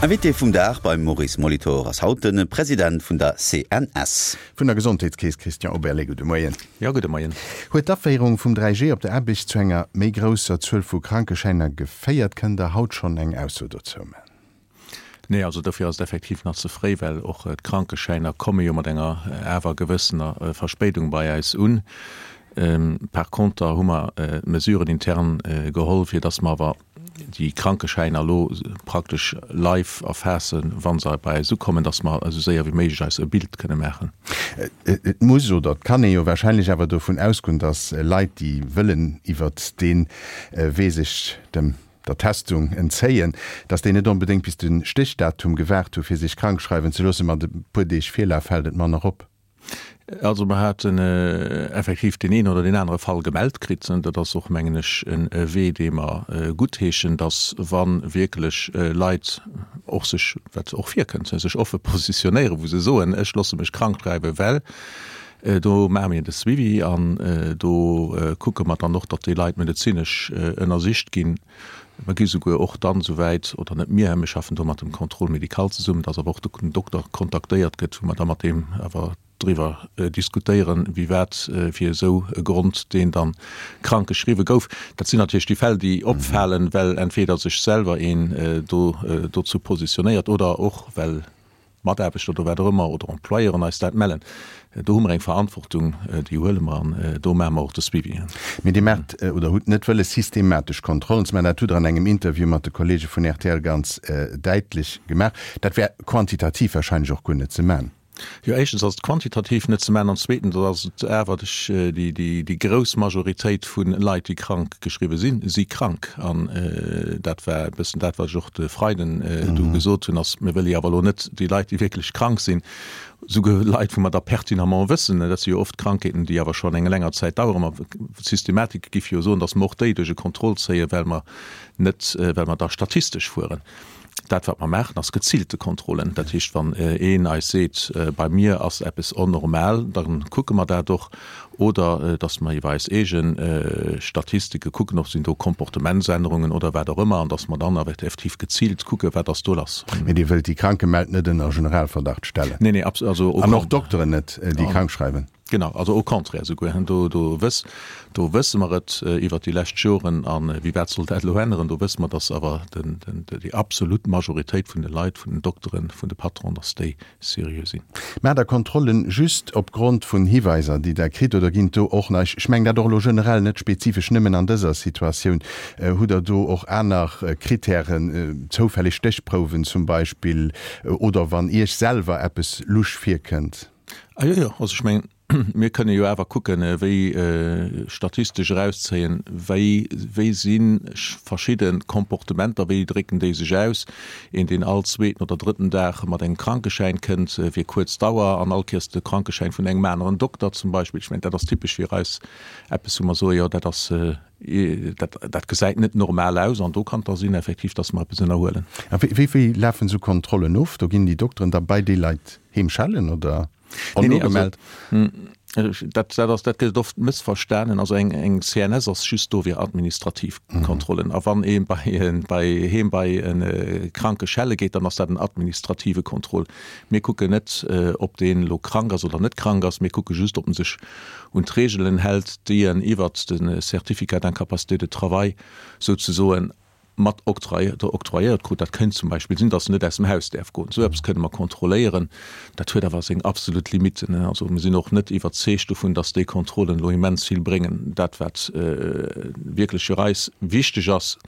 Invité vum Dag beim Maurice Molitor ass haut de President vun der CNS. Vun der Gesondheetskeess Christian Oberlé. Gudde Moien. Jo, gudde Moien. Huet d'Aféierung vum 3G op der Aarbecht zu enger méi grousser Zuel vu Krankeschäiner geféiert? Kënnt Der haut schonn eng Ausso dozou man? Nee, also dofir ass et effektiv nach ze fréi, well och d'Krankeschäiner komme jo mat enger awer gewëssener Verspéidung bei eis un. Par conter hu mer Mesuren intern geholl, fir dass mer awer déi Krankeschäiner elo praktesch live erfaassen, wa se bei eis ukommen, dass mer esou séier wéi méiglech eis e Bild kënne maachen. Et muss oder et kann ee jo wahrscheinlech awer dovun ausgoen, dass Leit, déi wëllen iwwert dee Wee sech dem der Testung entzéien, dass déi net onbedéngt bis de Stéchdatum gewaart hu fir sech krank schreiwen ze loossen. Mat e puer Deeg Virlaf fält et manner op. Also mer haten effektiv deen een oder deen anere Fall gemellt kritt. Dat ass och, mengen ech, e Wee, dee mer guttheeschen, dass wa wierklech Leit och sech, wat och virkënnt, sech offe positionéieren, wou se soen, ech loosse mech krank schreiwen, well, do maache mir de Suivi an do kucke mer dann och, datt déi Leit medezinesch ënnersicht ginn. Mer gi souguer och dann esouwäit, oder net mir, mir schaffen do mat dem Contrôle médical zesummen, dass awer och den Dokter kontaktéiert gëtt, wou mer da mat deem awer driwwer diskutéieren, wéi wat fir esou e Grond deen dann krank geschriwwe gouf. Dat sinn natierlech déi Fäll, déi opfalen, well entweder sech selwer een do dozou positionéiert oder och well Mataarbechter oder wat och ëmmer oder Employeuren eis dat mellen. Do hu mer eng Verantwortung, déi huele mer an do maache mer och de Suivi. Mee Dir maacht oder hutt net wëlles systematesch Kontrollen ze maachen. Dat hutt Der an engem Interview mat de Kollege vun rtl ganz däitlech gemaach. Dat wär quantitativ wahrscheinlech och guer net ze man. Jo, éischtens ass et quantitativ net ze man an zweetens ass et awer déi grouss Majoritéit vu Leit, déi krank geschriwwe sinn, si krank. An dat war e bëssen dat, wat ech och de Freiden du gesot hunn, ass, mir wëlle jo awer elo net déi Leit, déi wierklech krank sinn, souguer Leit, wou mer da pertinemment wëssen, dat si jo oft Krankheeten, déi awer schonn eng länger Zäit daueren, ma d'Systematik giff jo soen, datt mer och déi duerch e Contrôle zéien, well mer net, well mer da statistesch fueren. Dat, wat mer maachen, ass geziilte Kontrollen. Dat heescht, wann een eis seet, bei mir ass eppes onormal, da kucke mer dat och. Oder datt mer iwwer eis eege Statistike kucken, och sinn do Komportementsännerungen oder wat och ëmmer, an datt mer dann awer effektiv geziilt kucken, wat ass do lass. Mee Dir wëllt déi Krankemellt net ënner Generalverdacht stellen? Nee, nee, also au An och d'Dokteren net, déi krank schreiwen? Genau, also au contraire esouguer. Do, do wëss, do wësse mer et iwwert déi lescht Joren, a wéi wat soll dat elo änneren, do wësse mer, dass awer den, den, déi absolut Majoritéit vun de Leit, vun den Dokteren, vun de Patronen, dass déi seriö sinn. Maacht Der Kontrollen just opgrond vun Hiweiser, déi Der kritt, oder ginn do och nach, ech mengen dat och elo generell, net spezifesch nëmmen an dëser Situatioun, hutt Der do och aner Kritären, zoufälleg Stéchprouwen zum Beispill, oder wann Iech selwer eppes lusch virkënnt? Ah jo, jo, also ech mengen, mir kënne jo awer kucken, wéi statistesch erauszéien, wéi, wéi si verschidde Comportementer, wéi drécken déi sech aus. Een, deen all zweeten oder drëtten Dag mat engem Krankeschäin kënnt fir kuerz Dauer an all Kéiers de Krankeschäin vun engem aneren Dokter zum Beispill, ech mengen, dat ass typesch fir eis eppes, wou mer soen, jo, dat ass, dat, dat gesäit net normal aus an do kann et da sinn effektiv, datt mer eppes ënnerhuelen. A wéi, wéi lafen esou Kontrollen of? Do ginn déi Dokteren da bei déi Leit Heem schellen oder onugemellt? Dat, dat ass, dat gëtt oft mëssverstanen. Also eng, eng CNS ass just do fir administrativ Kontrollen. A wann ee bei en, bei heem bei e Kranke schelle geet, dann ass dat en administrative Contrôle. Mir kucken net, ob deen elo krank ass oder net krank ass. Mir kucke just, ob en sech un d'Reegelen hält, déi en iwwert de Certificat d'incapacité de travail souzesoen mat octroyéiert krut. Dat kënnt zum Beispill sinn, datt en net aus dem Haus däerf goen. Esou eppes kënne mer kontrolléieren. Dat huet awer seng absolut Limitten. Also mir sinn och net iwwerzeegt dovun, datt déi Kontrollen elo immens vill bréngen. Dat, wat wierklech fir eis wichteg ass,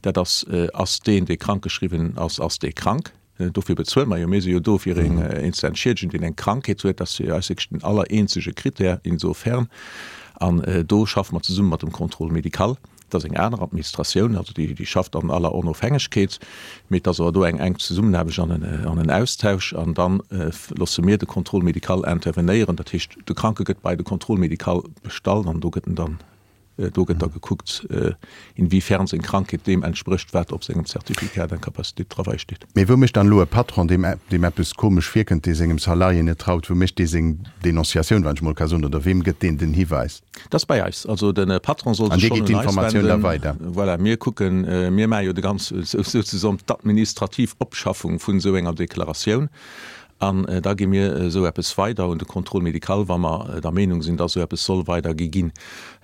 dat ass, Ass deen, dee krankgeschriwwen ass, ass dee krank? Dofir bezuele mer jo. Mir si jo do, fir een ze entschiedegen, deen eng Krankheet huet. Dat ass fir eis wierklech den allereenzege Krittär insofern. An do schaffe mer zesumme mat dem Contrôle médical. Dat ass eng aner Administratioun, also déi schafft an aller Onofhängegkeet. Mee et ass awer do eng enk Zesummenaarbecht an en Austausch. An da loosse mir de Contrôle médical intervenéieren. Dat heescht, de Kranke gëtt bei de Contrôle médical bestallt an do gëtt en dann. Do gëtt da gekuckt, inwiefern seng Krankheet deem entsprécht, wat op sengem Certificat d'incapacité de travail steet. Mee wou mécht dann elo e Patron, deem deem eppes komesch virkënnt, dee sengem Salarié net traut, wou mécht dee seng Denonciatioun, wann ech mol ka soen, oder weem gëtt deen den Hiweis? Dat ass bei eis. Also de Patron soll sech schonn un eis wenden. Da weider. Voilà, mir kucken, mir maache jo de ganz, souzesoen d'administrativ Opschaffung vun esou enger Deklaratioun. An da gi mir esou eppes weider un de Contrôle médical, wa mer der Meenung sinn, dass esou eppes soll weidergi ginn.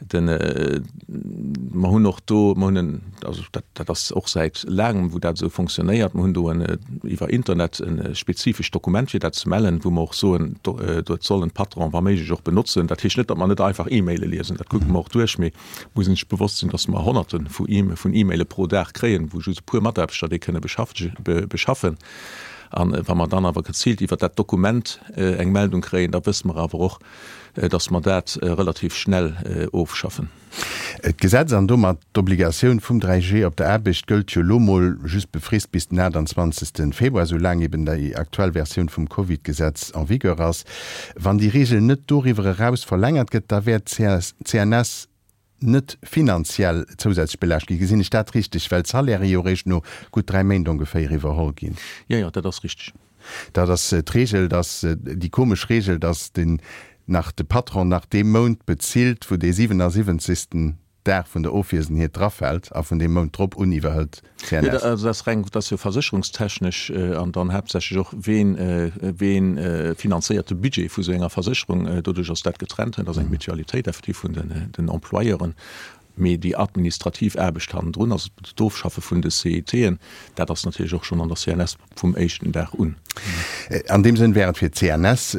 Den, mer hunn och do, mer hunn en, also dat, dat ass och säit laangem, wou dat esou fonctionnéiert, mer hunn do en, iwwer Internet e spezifescht Dokument, fir dat ze mellen, wou mer och soen, do, dat sollen d'Patronen wa méiglech och benotzen. Dat heescht net, datt mer net einfach E-Maile liesen, dat kucke mer och duerch, mee et muss een sech bewosst sinn, dass mer Honnerte vu E-Maile pro Dag kréien, wou just e puer Mataarbechter déi kënne beschaffen. A wa mer dann awer geziilt iwwert dat Dokument eng Meldung kréien, da wësse mer awer och, datt mer dat relativ schnell ofschaffen. D'Gesetz an domat d'Obligatioun vum 3G op der Aarbecht gëllt jo elo mol just befrist bis den 28. Februar, esou laang eben déi aktuell Versioun vum Covid-Gesetz en vigueur ass. Wann déi Reegel net doriwwer eraus verlängert gëtt, da wäert d'CNS net finanziell zousätzlech belaascht ginn. Gesinn ech dat richteg? Well d'Salairë jo eréischt no gutt 3 Méint ongeféier iwwerholl ginn. Jo, jo, dat ass richteg. Dat ass d'Regel, dass, déi komesch Regel, dass den nach de Patron nach dee Mount bezilt, wou dee 77. Dag vun der Ofwiesenheet drafält, a vun deem Mount drop un iwwerhëlt Jo, dat also dat ass reng, dat ass jo versécherungstechnesch an dann haaptsächlech och, ween, ween finanzéiert de Budget vu sou enger Versécherung. Doduerch ass dat getrennt. Dat ass eng Mutualitéit effektiv vun den, den Employeuren. Mee déi administrativ Aarbecht hannendrun, also d'Ofschaffe vun de CITen, dat ass natierlech och schonn an der CNS vum éischten Dag un. An deem Sënn wär et fir d'CNS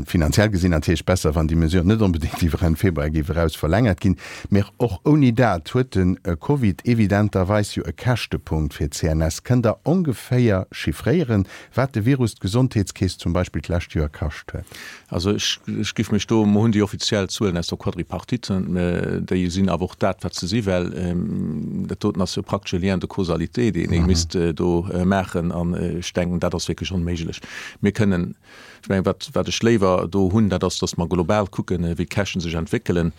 finanziell gesinn natierlech besser, wann déi Mesure net onbedéngt iwwer Enn Februar géif eraus verlängert ginn. Mee och ouni dat huet de Covid evidenterweis jo e Käschtepunkt fir d'CNS. Kënnt Der ongeféier chiffréieren, wat de Virus d'Gesondheetskeess zum Beispill d'lescht Joer kascht huet? Also ech, ech géif mech do, mer hunn déi offiziell Zuelen aus der Quadripartite, déi sinn awer och dat, wat se si well dat doten ass jo praktesch e Lien de causalité, deen ee misst do maachen an ech denken, dat ass wierklech onméiglech. Mir kënnen, ech mengen, wat, wat ech léiwer do hunn, dat ass, datt mer global kucken, wéi d'Käschten sech entwéckelen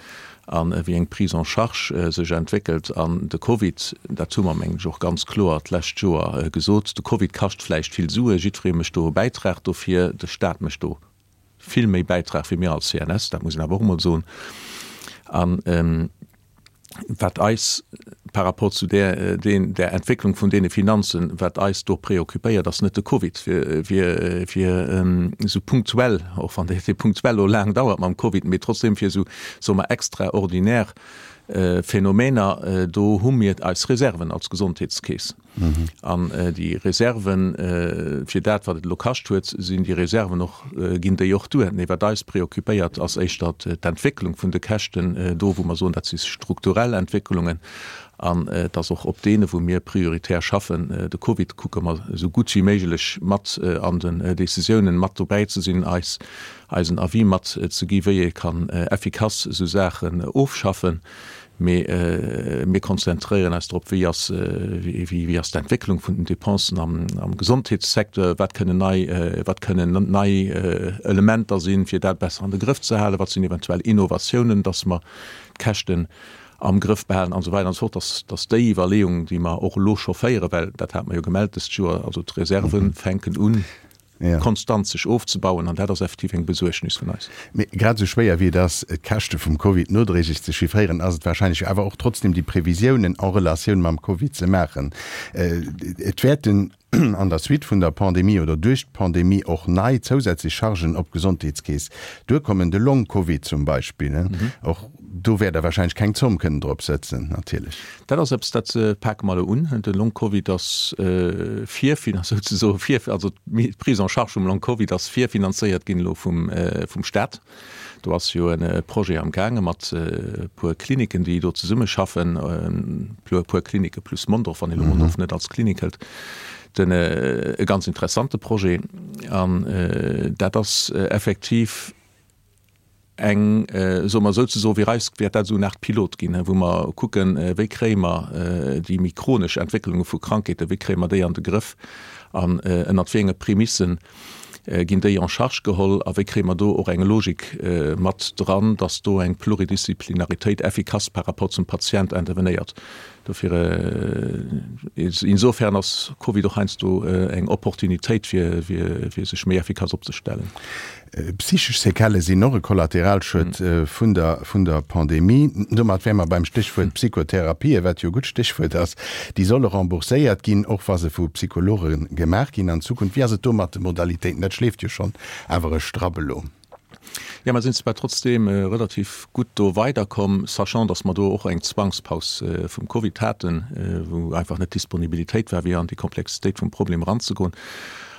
a wéi eng Prise en charge sech entwéckelt. An de Covid, dat hu mer, mengen ech, och ganz kloer d'lescht Joer gesot, de Covid kascht vläicht vill Sue, jiddweree mécht do e Bäitrag dofir, de Stat mécht do vill méi Bäitrag wéi mir als CNS, dat muss een awer och emol soen. An wat eis par rapport zu där, deen, där Entwécklung vun deene Finanzen, wat eis do préoccupéiert, ass net de Covid, fir, fir, fir esou punktuell, och wann dee punktuell elo laang dauert mam Covid, mee trotzdem fir esou, soe mer, extraordinär Phänomener, do hu mir eis Reserven als Gesondheetskeess. An déi Reserven, fir dat, wat et elo kascht huet, sinn déi Reserven och, ginn déi och duer. Mee wat eis preoccupéiert, ass éischter d'Entwécklung vun de Käschten, do wou mer soen, dat si strukturell Entwécklungen. An et ass och op deene wou mir prioritär schaffen. De Covid kucke mer esou gutt wéi méiglech mat an den Décisiounen mat dobäi ze sinn, eis eisen Avis mat ze gi wéi ee kann effikass esou Saachen ofschaffen. Mee mir konzentréieren eis drop, wéi ass, wéi ass d'Entwécklung vun den Dépensen am, am Gesondheetssecteur, wat kënnen nei, wat kënnen nei Elementer sinn, fir dat besser an de Grëff ze halen, wat sinn eventuell Innovatiounen, dass mer d'Käschten am Grëff behalen an esou weider an esou fort, dass, dass déi Iwwerleeung, déi mer och elo scho féieren, well dat hate mer jo gemellt dëst Joer, also d'Reserve fänken un, konstant sech ofzebauen, an dat ass effektiv eng Besuergnis vun eis. Mee grad esou schwéier wéi et ass, d'Käschte vum Covid nodréiglech ze chiffréieren, ass et warscheinlech awer och trotzdem déi Previsiounen en Relatioun mam Covid ze maachen. Et wäerten an der Suite vun der Pandemie oder duerch d'Pandemie och nei zousätzlech Chargen op d'Gesondheetskeess duerkommen, de Long-Covid zum Beispill. Och do wäert Der warscheinlech keng Zomm kënnen drop sëtzen, natierlech. Dat ass eppes, dat pake mer elo un. De Long-Covid ass virfin-, souzesoe vir-, also d'Prise en charge vum Long-Covid ass virfinanzéiert ginn elo vum, vum Staat. Do ass jo e Projet am gaange mat e puer Kliniken, déi do zesummeschaffen, e puer Klinike plus Mondorf, wann ee elo Mondorf net als Klinik hëlt. Den, e ganz interessante Projet. An dat ass effektiv, eng, soe mer souzesoen, fir eis wäert dat esou en Aart Pilot ginn, wou mer kucken, wéi kréie mer déi méi chronesch Entwécklunge vu Krankheeten, wéi kréie mer déi an de Grëff an ënnert wéi enge Premissen. Ginn déi en charge geholl a wéi kréie mer do och eng Logik mat dran, dass do eng Pluridisziplinaritéit effikass par rapport zum Patient intervenéiert? Dofir, insofern ass Covid och heiansdo eng Opportunitéit, fir sech méi effikass opzestellen. Psychesch Sequellë sinn och e Kollateralschued vun der vun der Pandemie. Domat wäre mer beim Stéchwuert Psychotherapien, wat jo e gutt Stéchwuert ass. Déi solle rembourséiert ginn, och wa se vu Psychologe gemaach ginn an Zukunft. Wéi ass et do mat de Modalitéiten? Dat schleeft jo schonn awer e Strapp elo. Jo, mer sinn zwar trotzdeem relativ gutt do weiderkomm, sachant dass mer do och eng Zwangspaus vum Covid haten, wou einfach net d'Disponibilitéit war, fir an déi Komplexitéit vum Problem eranzegoen.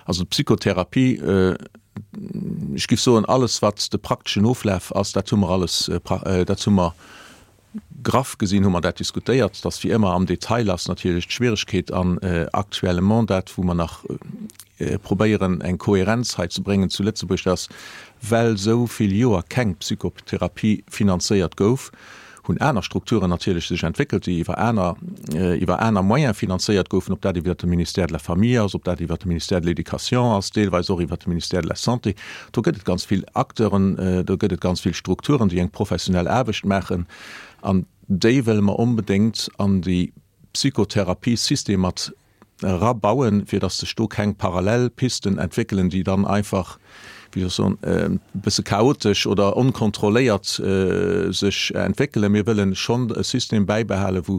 Also d'Psychotherapie, ech géif soen, alles wat de prakteschen Oflaf ass, dat hu mer alles, dat hu mer graff gesinn, hu mer dat diskutéiert. Dass wéi ëmmer am Detail ass natierlech d'Schwieregkeet an actuellement dat wou mer nach probéieren eng Kohärenz hei ze bréngen zu Lëtzebuerg, dat ass, well esou vill Joer keng Psychotherapie finanzéiert gouf, hunn aner Strukturen natierlech sech entwéckelt, déi iwwer aner, iwwer aner Moyene finanzéiert goufen, ob dat iwwert de Ministère de la Famille ass, ob dat iwwert de Ministère de l'Éducation ass, deelweis och iwwert de Ministère de la Santé. Do gëtt et ganz vill Acteuren, do gëtt et ganz vill Strukturen, déi eng professionell Aarbecht maachen an déi wëlle mer onbedéngt an déi Psychotherapie-System mat erabauen, fir dass sech do keng parallel Pisten entwéckelen, déi dann einfach, wéi soll ech soen, e bësse chaotesch oder onkontrolléiert sech entwéckelen. Mir wëlle schonn e System bäibehalen, wou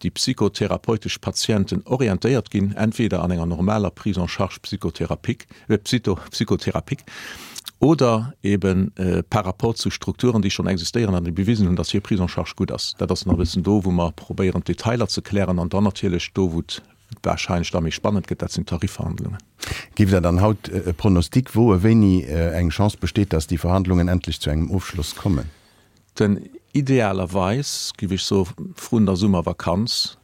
déi psychotherapeutesch Patienten orientéiert ginn, entweder an enger normaler Prise en charge psychothérapique, psychothérapique oder eben par rapport zu Strukturen, déi schonn existéieren an déi bewisen hunn, dass hir Prise en charge gutt ass. Dat ass nach e bëssen do, wou mer probéieren, d'Detailer ze klären an dann natierlech do, wou et warscheinlech da méi spannend gëtt, dat sinn d'Tarifverhandlungen. Giff Der dann haut e Pronostic woe wéini eng Chance besteet, dass déi Verhandlungen endlech zu engem Ofschloss kommen? Den idealerweis, giff ech soe vrun der Summervakanz,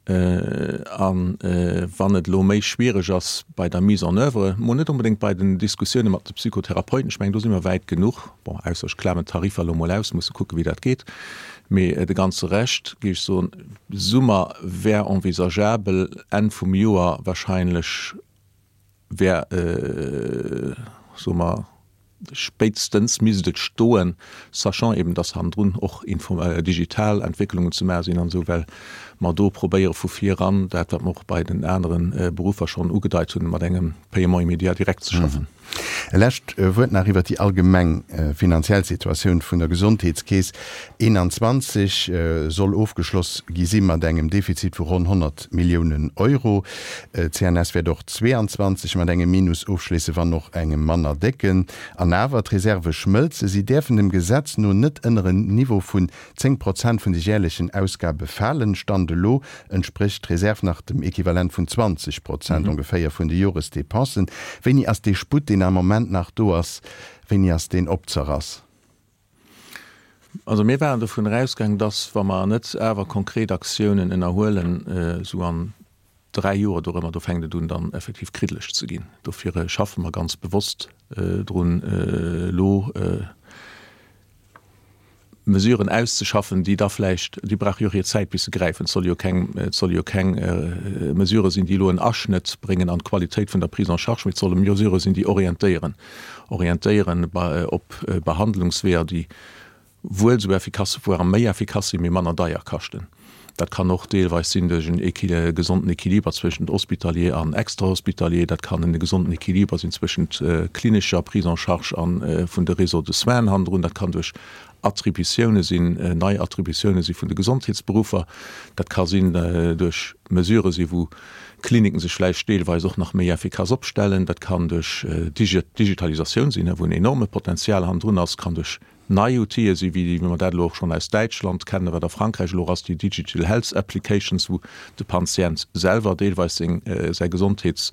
A wann et elo méi schwiereg ass bei der Mise en oeuvre, mol net onbedéngt bei den Diskussioune mat de Psychotherapeuten, ech mengen do si mer wäit genuch, bon, ausser ech klamen d'Tariffer elo mol aus, musse kucke wéi dat geet, mee de ganze Rescht, géif ech soen, Summer wär envisageabel, Enn vum Joer wahrscheinlech wär, soe mer, spéitstens misst et stoen, sachant eben, dass hannendrun och digital Entwécklungen ze maache sinn an esou, well mer do probéiere vu vir eran dat, wat mer och bei den anere Beruffer schonn ugedeit hunn, mat engem Paiement immédiat direct ze schaffen. E lescht Wuert nach iwwert déi allgemeng finanziell Situatioun vun der Gesondheetskeess. 21 soll ofgeschloss gi si mat engem Defizit vu ronn 100 Milliounen Euro. D'CNS wäert och 22 mat engem Minus ofschléissen, wann och engem manner décken. An awer, d'Reserve schmëlzen. Si däerfen dem Gesetz no net ënner en Niveau vun 10 Prozent vun de järlechen Ausgabe falen. Stand elo entsprécht d'Reserv nach dem Equivalent vun 20 Prozent ongeféier vun de Joresdepensen. Wéini ass dee Sputt, deen am Moment nach do ass, wéini ass deen opzerass? Also mir waren dovun erausgaangen, dass, wa mer net awer konkret Aktiounen ënnerhuelen, esou an 3 Joer dorëmmer, do fänkt et un dann effektiv kriddeleg ze ginn. Dofir schaffe mer ganz bewosst drun, elo Mesuren auszeschaffen, déi da vläicht, déi brauche jo och hir Zäit bis se gräifen. Et solle jo keng, et solle jo keng Mesurë sinn, déi elo en Aschnëtt bréngen an d'Qualitéit vun der Prise en charge, mee et solle Mesurë sinn, déi orientéieren, orientéieren op Behandlungsweeër, déi wuel esou effikass, voire méi effikass sinn, mee manner deier kaschten. Dat kann och deelweis sinn duerch en gesonden Equiliber zwëschent hospitalier an extrahospitalier. Dat kann en gesonden Equiliber sinn zwëschent klinescher Prise en charge a vun de Réseaux de soins hannendrun. Dat kann duerch Attributioune sinn, nei Attributioune si vun de Gesondheetsberuffer. Dat ka sinn duerch Mesurë si wou Kliniken sech vläicht deelweis och nach méi effikass opstellen. Dat kann duerch Digitalisatioun sinn, wou en enorme Potenzial hannendrun ass, kann duerch nei Outile sinn, wéi mer dat elo och schonn aus Däitschland kennen, wat a Frankräich elo och ass, déi Digital Health Applications, wou de Patient selwer deelweis seng säi Gesondheets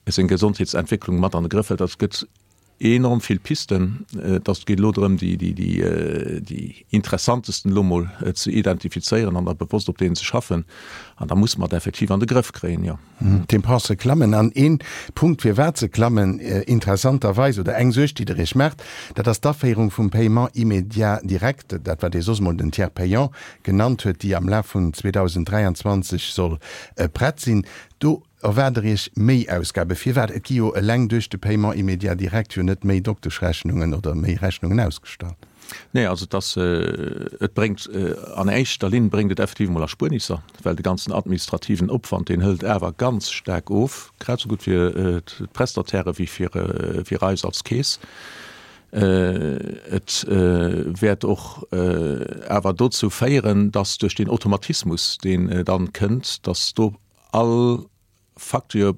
seng Gesondheetsentwécklung mat an de Grëff hält. Also et gëtt enorm vill Pisten. Et ass geet elo drëm, déi déi déi déi interessantesten elo mol ze identifizéieren an da bewosst op deenen ze schaffen. An da musse mer et effektiv an de Grëff kréien, jo. D'Depensë klammen. An een Punkt, firwat se klammen, interessanterweis, oder eng Suerg, déi Der Iech maacht, dat ass d'Aféierung vum Paiement immédiat direct, dat wat ee soss emol den Tiers payant genannt huet, déi am Laf vun 2023 soll prett sinn. Do. Erwaart Der Iech méi Ausgabe? Firwat? Et gi jo eleng duerch de Paiement immédiat direct jo net méi Dokteschrechnungen oder méi Rechnungen ausgestallt. Nee, also et ass, et bréngt an éischter Linn bréngt et effektiv emol Erspuernisser, well de ganzen administrativen Opwand, deen hëlt awer ganz staark of, grad esou gutt fir d'Prestataire wéi fir eis als Keess. Et wäert och awer dozou féieren, dass duerch deen Automatismus, deen dann kënnt, dass do all Facture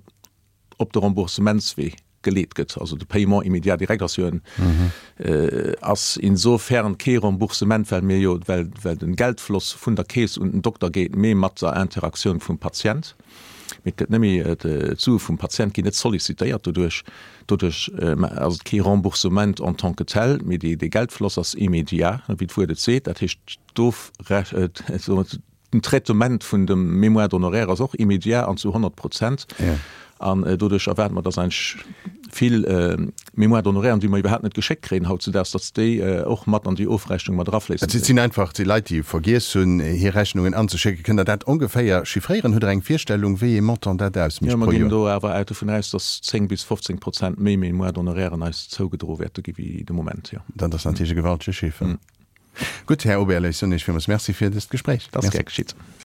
op de Remboursementswee geleet gëtt. Also de Paiement immédiat direct ass jo en, ass insofern kee Remboursement, well mir jo, well, well den Geldfloss vun der Keess un den Dokter geet, mee mat der Interaktioun vum Patient. Mee et gëtt net méi, d'Sue vum Patient ginn net sollicitéiert doduerch. Doduerch ass et kee Remboursement en tant que tel, mee dee Geldfloss ass immédiat, wéi d'Wuert et seet. Dat heescht, den Traitement vun dem Mémoire d'honoraires ass och immédiat an zu 100 Prozent. An doduerch erwaarde mer, dass eigentlech vill Mémoires d'honorairen, déi mer iwwerhaapt net geschéckt kréien hautzudaags, dass déi och mat an déi Ofrechnung mat erafléissen. Et sinn einfach déi Leit, déi vergiess hunn, hir Rechnungen anzeschécken. Kënnt Der dat ongeféier chiffréieren? Hutt Der eng Virstellung, wéi ee Montant dat ausmécht pro Joer? Jo, mer ginn do awer dovun aus, dass 10 bis 15 Prozent méi Mémoires d'honorairen eis zougedroe wäerte gi wéi de Moment, jo. Dat ass natierlech e gewaltege Chiffer. Gutt, Här Oberlé, ech soen Iech villmools Merci fir dëst Gespréich. Dat ass gär geschitt.